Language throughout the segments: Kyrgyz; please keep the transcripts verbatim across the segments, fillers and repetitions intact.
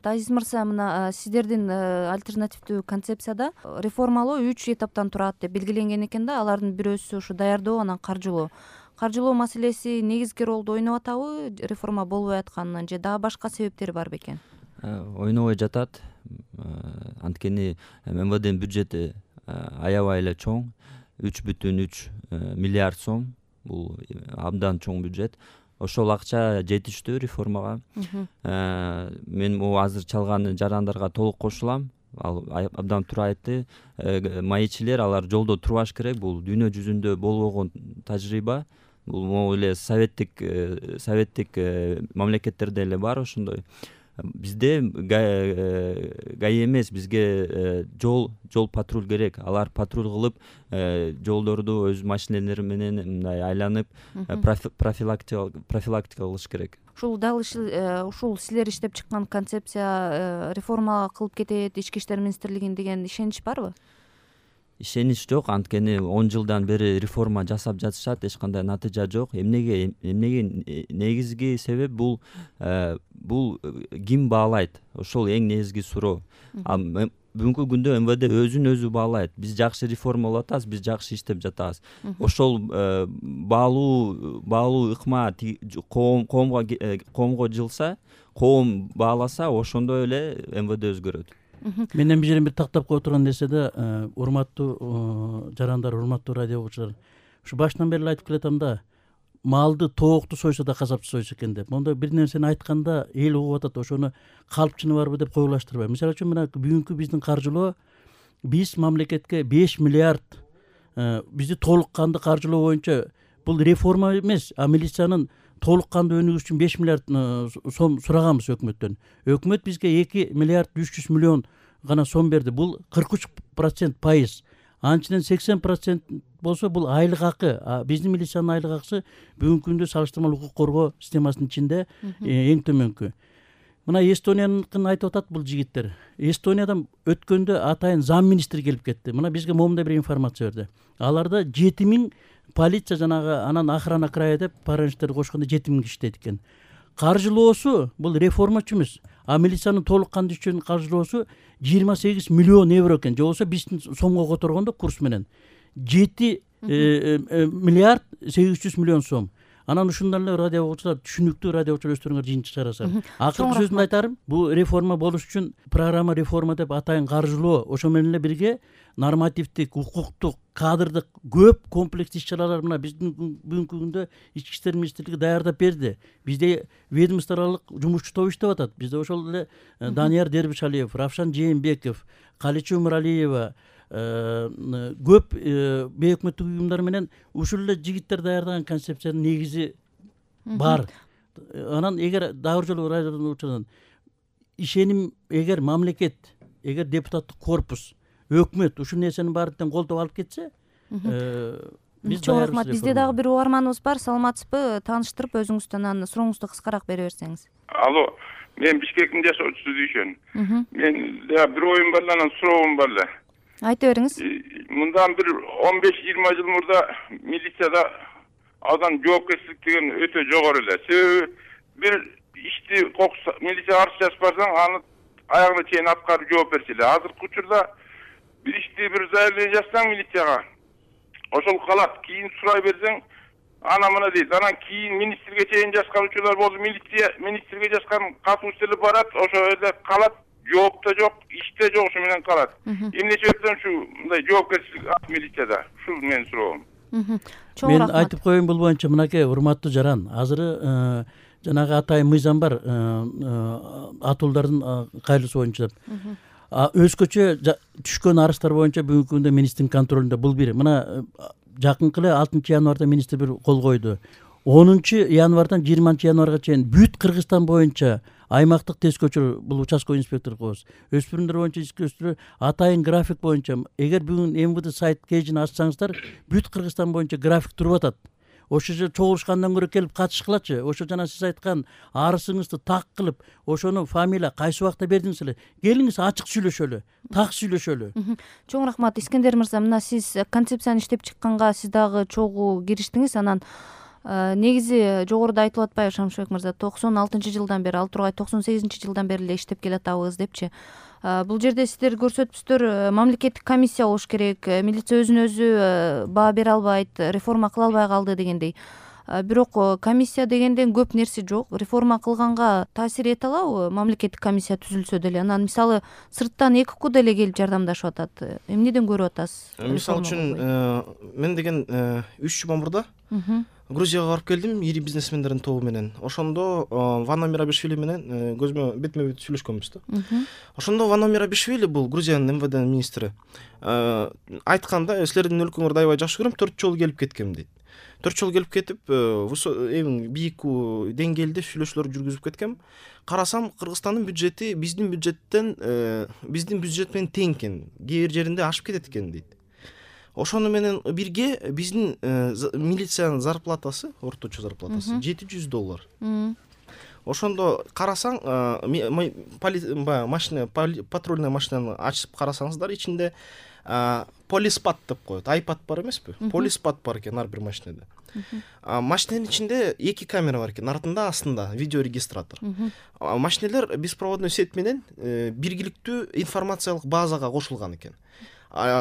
Азиз мырза, мына сиздердин альтернативдүү концепцияда реформалоо үч этаптан турат деп белгиленген экен да. Алардын бирөөсү ушу даярдоо, анан каржылоо. Каржылоо маселеси негизги ролду ойноп атабы реформа болбой атканынын, же дагы башка себептери бар бекен? Ойнобой жатат. Анткени эм вэ дэнин бюджети аябай эле чоң, үч бүтүн үч миллиард сом. Бул абдан чоң бюджет. Ошол акча жетиштүү реформага. Мен могу азыр чалган жарандарга толук кошулам. Ал абдан туура айтты. Маекчилер алар жолдо турбаш керек. Бул дүйнө жүзүндө болбогон тажрыйба. Бул могу эле советтик советтик мамлекеттерде эле бар ошондой. Бизде гаи эмес, бизге жол жол патруль керек. Алар патруль кылып, жолдорду өз машиналары менен мындай айланып профилактика профилактика кылыш керек. Ушул дал ушул силер иштеп чыккан концепция реформа кылып кетет ички иштер министрлигин деген ишенич барбы? Ишенич жок, анткени он жылдан бери реформа жасап жатышат, эч кандай натыйжа жок. Эмнеге эмнеге негизги себеп бул бул ким баалайт? Ошол эң негизги суроо. Бүгүнкү күндө эм вэ дэ өзүн өзү баалайт. Биз жакшы реформа кылып атабыз, биз жакшы иштеп жатабыз. Ошол баалуу баалуу ыкма коомго коомго жылса, коом бааласа, ошондой эле эм вэ дэ өзгөрөт. Мен эми бир жерин бир тактап кое турган нерсе да, урматтуу жарандар, урматтуу радио угуучулар, ушу башынан бери айтып келатам да, малды тоокту сойсо да касапчы сойсо экен деп. Мондой бир нерсени айтканда эл угуп атат, ошону калпчыны барбы деп коюлаштырбайм. Мисалы үчүн мына бүгүнкү биздин каржылоо, биз мамлекетке беш миллиард бизди толук кандуу каржылоо боюнча, бул реформа эмес, а милициянын толук кандуу өнүгүш үчүн беш миллиард сом сураганбыз өкмөттөн. Өкмөт бизге эки миллиард үч жүз миллион гана сом берди. Бул кырк үч процент пайыз. Анчынан сексен процент болсо бул айлык акы. Биздин милициянын айлык акысы бүгүнкү күндө салыштырмалуу укук коргоо системасынын ичинде эң төмөнкү. Мына Эстонияныкын айтып атат бул жигиттер. Эстониядан өткөндө атайын зам министри келип кетти. Мына бизге момундай бир информация берди. Аларда жети миң полиция, жанагы анан охрана края деп паранждерди кошкондо жети миң киши иштейт экен. Каржылоосу бул реформачы эмес, а милициянын толук кандуу үчүн каржылоосу жыйырма сегиз миллион евро экен. Же болбосо биздин сомго которгондо курс менен жети миллиард сегиз жүз миллион сом. Анан ушундан эле радио угуучулар, түшүнүктүү радио угуучулар өздөрүңөр жыйынтык чыгарасыздар. Акыркы сөзүмдү айтарым, бул реформа болуш үчүн программа реформа деп атайын каржылоо, ошо менен эле бирге нормативдик, укуктук, кадрдык көп комплекс иш-чаралар мына биздин бүгүнкү күндө ички иштер министрлиги даярдап берди. Бизде ведомстволук жумушчу топ иштеп атат. Бизде ошол эле Данияр Дербишалиев, Равшан Жээнбеков, Каличу Муралиева, көп бейөкмөттүк уюмдар менен ушул эле жигиттер даярдаган концепциянын негизи бар. Анан эгер дагы жолу радиодон учурдан ишеним, эгер мамлекет, эгер депутаттык корпус, өкмөт ушул нерсенин баарын колдоп алып кетсе, биз чоң рахмат. Бизде дагы бир угарманыбыз бар. Саламатсызбы? Тааныштырып өзүңүздөн анан сурооңузду кыскараак бере берсеңиз. Алло, мен Бишкектин жашоочусу Дүйшөн. Мен бир оюм бар, анан суроом бар эле. Айта бериңиз. Мындан бир он беш жыйырма жыл мурда милицияда адам жоопкерчилик деген өтө жогору эле. Себеби бир ишти милиция каршы жазып барсаң, аны аягына чейин аткарып жооп берчү эле. Азыркы учурда бир ишти бир заявление жазсаң милицияга, ошол калат. Кийин сурай берсең, ана мына дейт. Анан кийин министрге чейин жазган учурлар болду. Милиция министрге жазган катуучулар барат, ошол жерде калат. Жооп да жок, иште жок, ушу менен калат. Эмне себептен ушу мындай жоопкерчилик милицияда? Ушул менин суроом. Мен айтып коеюн бул боюнча, мынакей урматтуу жаран, азыр жанагы атайын мыйзам бар, атуулдардын кайрылышы боюнча. Өзгөчө түшкөн арыздар боюнча бүгүнкү күндө министрдин контролунда бул бир. Мына жакынкы эле алтынчы январда министр бир кол койду. онунчу январдан жыйырманчы январга чейин бүт Кыргызстан боюнча аймактык тест көчүрүү, бул участковый инспектор коебуз. Өспүрүмдөр боюнча ички өспүрүмдөр атайын график боюнча, эгер бүгүн эм вэ дэ сайт кейжин ачсаңыздар, бүт Кыргызстан боюнча график туруп атат. Ошо же чогулушкандан көрө келип катышкылачы. Ошо жана сиз айткан арызыңызды так кылып, ошону фамилия кайсы убакта бердиңиз эле. Келиңиз ачык сүйлөшөлү, так сүйлөшөлү. Чоң рахмат. Искендер мырза, мына сиз концепцияны иштеп чыкканга сиз дагы чогуу кириштиңиз. Анан негизи жогоруда айтылып атпайбы Шамшыбек мырза, токсон алтынчы жылдан бери, ал тургай токсон сегизинчи жылдан бери эле иштеп келатабыз депчи. Бул жерде сиздер көрсөтүпсүздөр, мамлекеттик комиссия болуш керек, милиция өзүн өзү баа бере албайт, реформа кыла албай калды дегендей. Бирок комиссия дегенден көп нерсе жок. Реформа кылганга таасир эте алабы мамлекеттик комиссия түзүлсө деле? Анан мисалы сырттан эки ку деле келип жардамдашып атат. Эмнеден көрүп атасыз? Мисалы үчүн мен деген үч жума мурда Грузияга барып келдим, ири бизнесмендердин тобу менен. Ошондо Вано Мирабишвили менен көзмө бетме бет сүйлөшкөнбүз да. Ошондо Вано Мирабишвили, бул Грузиянын эм вэ дэ министри, айтканда, силердин өлкөңөрдү аябай жакшы көрөм, төрт жолу келип кеткем дейт. төрт жолу келип кетип, эң бийик деңгээлде сүйлөшүүлөр жүргүзүп кеткем. Карасам, Кыргызстандын бюджети биздин бюджеттен, биздин бюджет менен тең экен, кээ бир жеринде ашып кетет экен дейт. Ошону менен бирге биздин милициянын зарплатасы, орточо зарплатасы жети жүз доллар. Ошондо карасаң, машина, патрульный машинаны ачып карасаңыздар, ичинде полиспад деп коет. Айпад бар эмеспи? Полиспад бар экен ар бир машинеде. Машиненин ичинде эки камера бар экен, артында, астында видеорегистратор. Машинелер беспроводной сеть менен биргиликтүү информациялык базага кошулган экен.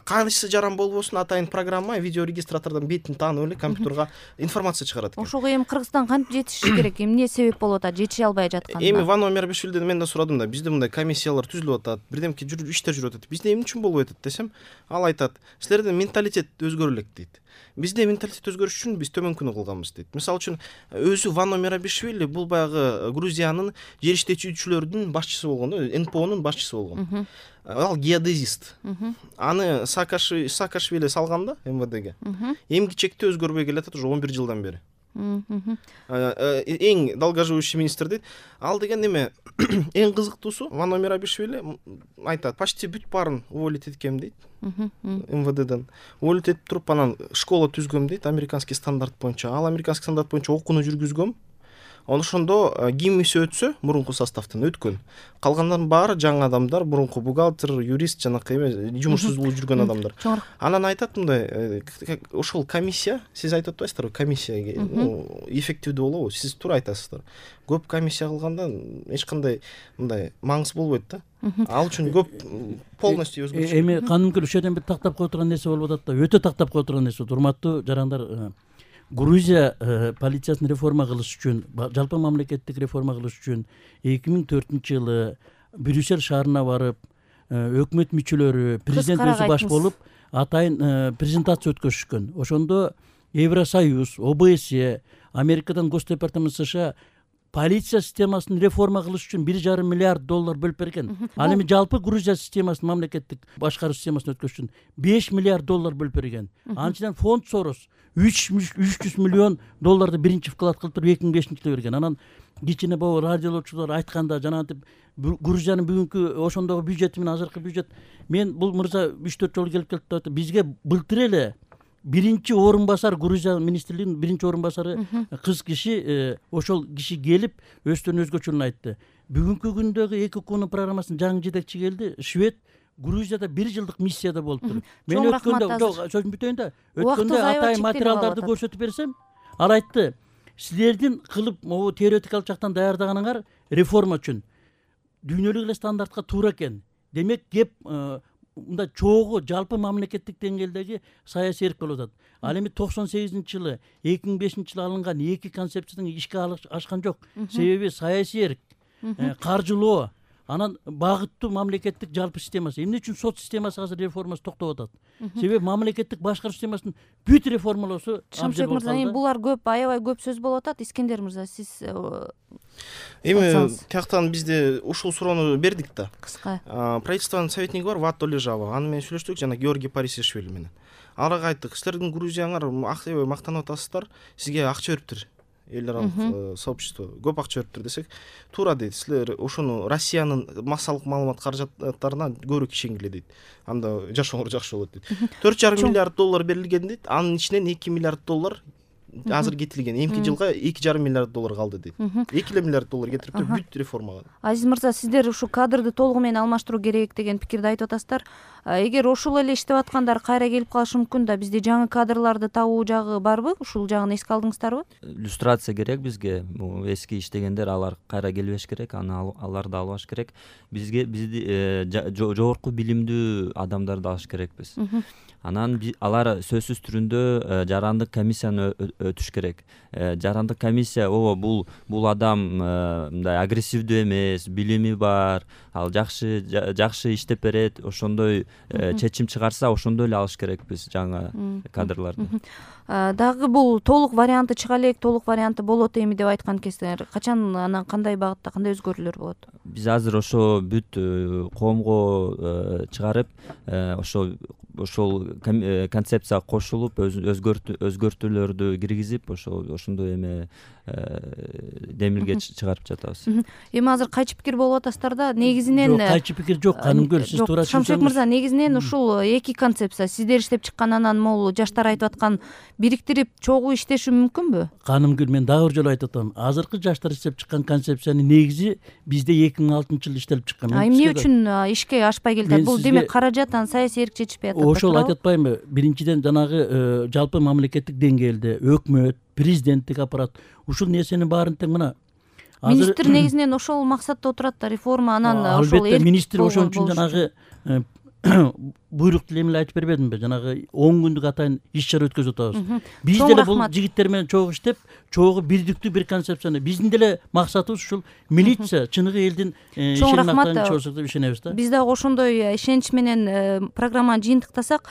Кайсы жаран болбосун, атайын программа видеорегистратордон бетин таанып эле компьютерга информация чыгарат экен. Ошого эми Кыргызстан кантип жетиши керек? Эмне себеп болуп атат? Жетиши албай жатканда? Эми Вано Мирабишвилиден мен да сурадым да, бизде мындай комиссиялар түзүлүп атат, бирдемке иштер жүрүп атат. Бизде эмне үчүн болуп атат десем, ал айтат, силердин менталитет өзгөрө элек дейт. Бизде менталитет өзгөрүш үчүн биз төмөнкүнү кылганбыз дейт. Мисалы үчүн, өзү Вано Мирабишвили бул баягы Грузиянын жер иштетүүчүлөрдүн башчысы болгон, эн пэ о'нун башчысы болгон. Ал геодезист. Аны Саакашвили салганда эм вэ дэ ге. Эмгичекти чекти өзгөрбөй келатат уже он бир жылдан бери. Эң долгоживущий министр дейт. Ал деген эме эң кызыктуусу, Вано Мирабишвили айтат, почти бүт баарын уволить эткем дейт. эм вэ дэден уволить этип туруп, анан школа түзгөм дейт, американский стандарт боюнча. Ал американский стандарт боюнча окууну жүргүзгөм. Ошондо гиммиси өтсө, мурунку составтан өткөн. Калгандардын баары жаңы адамдар, мурунку бухгалтер, юрист, жанакы эме жумушсуз болуп жүргөн адамдар. Анан айтат мындай, ошол комиссия, сиз айтып атпайсыздарбы, комиссия эффективдүү болобу? Сиз туура айтасыздар. Көп комиссия кылганда эч кандай мындай маңыз болбойт да. Ал үчүн көп полностью өзгөрүш. Эми канумкер ушул жерден бир тактап кое турган нерсе болуп атат да, өтө тактап кое турган нерсе. Урматтуу жарандар, Грузия полициясын реформа кылыш үчүн, жалпы мамлекеттик реформа кылыш үчүн эки миң төртүнчү жылы Брюссель шаарына барып, өкмөт мүчөлөрү, президент өзү баш болуп, атайын презентация өткөзүшкөн. Ошондо Евросоюз, о бэ эс е, Америкадан Госдепартамент США полиция системасын реформа кылыш үчүн бир жарым миллиард доллар бөлүп берген. Ал эми жалпы Грузия системасын, мамлекеттик башкаруу системасын өткөзүш үчүн беш миллиард доллар бөлүп берген. Анчынан фонд Сорос үч жүз миллион долларды биринчи вклад кылып туруп эки миң бешинчи жылы берген. Анан кичине боо радиолочулар айтканда, жанагынтип Грузиянын бүгүнкү ошондогу бюджети менен азыркы бюджет, мен бул мырза үч төрт жолу келип келип атат. Бизге былтыр эле биринчи орун басар, Грузия министрлигинин биринчи орун басары кыз киши, ошол киши келип өздөрүнүн өзгөчөлүгүн айтты. Бүгүнкү күндөгү эки кунун программасынын жаңы жетекчи келди, швед Грузияда бир жылдык миссияда болуптур. Мен өткөндө, жок, сөзүм бүтөйүн да. Өткөндө атайын материалдарды көрсөтүп берсем, ал айтты, силердин кылып могу теоретикалык жактан даярдаганыңар реформа үчүн дүйнөлүк эле стандартка туура экен. Демек, кеп мындай чогуу жалпы мамлекеттик деңгээлдеги саясий эрк болуп атат. Ал эми токсон сегизинчи жылы, эки миң бешинчи жылы алынган эки концепцияны ишке ашкан жок. Себеби саясий эрк, каржылоо, анан багыттуу мамлекеттик жалпы системасы. Эмне үчүн сот системасы азыр реформасы токтоп атат? Себеби мамлекеттик башкаруу системасын бүт реформалоосу Шамшыбек мырза, булар көп, аябай көп сөз болуп атат. Искендер мырза, сиз эми тияктан бизде ушул суроону бердик да. Кыска. Правительствонун советниги бар, Вато Лежава. Аны менен сүйлөштүк, жана Георгий Парисишвили менен. Аларга айттык, силердин Грузияңар аябай мактанып атасыздар, сизге акча бериптир. Эл аралык сообщество көп акча бериптир десек, туура дейт. Силер ошону Россиянын массалык маалымат каражаттарына көбүрөөк ишенгиле дейт. Анда жашооңор жакшы болот дейт. төрт жарым миллиард доллар берилген дейт. Анын ичинен эки миллиард доллар азыр кетилген эмки жылга эки жарым миллиард доллар калды дейт. эки эле миллиард доллар кетириптир бүт реформага. Азиз мырза, сиздер ушу кадрды толугу менен алмаштыруу керек деген пикирди айтып атасыздар. Эгер ошол эле иштеп аткандар кайра келип калышы мүмкүн да, бизде жаңы кадрларды табуу жагы барбы? Ушул жагын эске алдыңыздарбы? Иллюстрация керек бизге. Бул эски иштегендер алар кайра келбеш керек, аны аларды албаш керек. Бизге бизди жогорку билимдүү адамдарды алыш керекпиз. Анан алар сөзсүз түрүндө жарандык комиссияны өтүш керек. Жарандык комиссия ооба бул бул адам мындай агрессивдүү эмес, билими бар, ал жакшы жакшы иштеп берет, ошондой чечим чыгарса ошондой эле алыш керекпиз жаңы кадрларды. Дагы бул толук варианты чыга элек, толук варианты болот эми деп айткан экенсиңер. Качан анан кандай багытта, кандай өзгөрүүлөр болот? Биз азыр ошо бүт коомго чыгарып, ошо ошол концепцияга кошулуп, өзгөртүүлөрдү киргизип, ошо ошондой эме демилге чыгарып жатабыз. Эми азыр кайчы пикир болуп атасыздар да, негизинен жок, кайчы пикир жок, Канымгүл, сиз туура түшүнсөңүз. Шамшек мырза, негизинен ушул эки концепция сиздер иштеп чыккан, анан могул жаштар айтып аткан бириктирип чогуу иштеши мүмкүнбү? Канымгүл, мен дагы бир жолу айтып атам. Азыркы жаштар иштеп чыккан концепциянын негизи бизде эки миң алтынчы жылы иштелип чыккан. Эмне үчүн ишке ашпай келди? Бул демек каражат, анан саясий эрк чечишпей атат. Ошол айтып атпаймынбы? Биринчиден жанагы жалпы мамлекеттик деңгээлде өкмөт, президенттик аппарат ушул нерсенин баарын тең мына министр негизинен ошол максатта отурат да, реформа, анан ошол албетте министр ошон үчүн жанагы буйрукту эле айтып бербедимби? Жанагы он күндүк атайын иш чара өткөзүп атабыз. Биз деле бул жигиттер менен чогуу иштеп, чогуу бирдиктүү бир концепцияны, биздин деле максатыбыз ушул милиция чыныгы элдин ишеним актарын чогуу деп ишенебиз да. Биз дагы ошондой ишенич менен программаны жыйынтыктасак,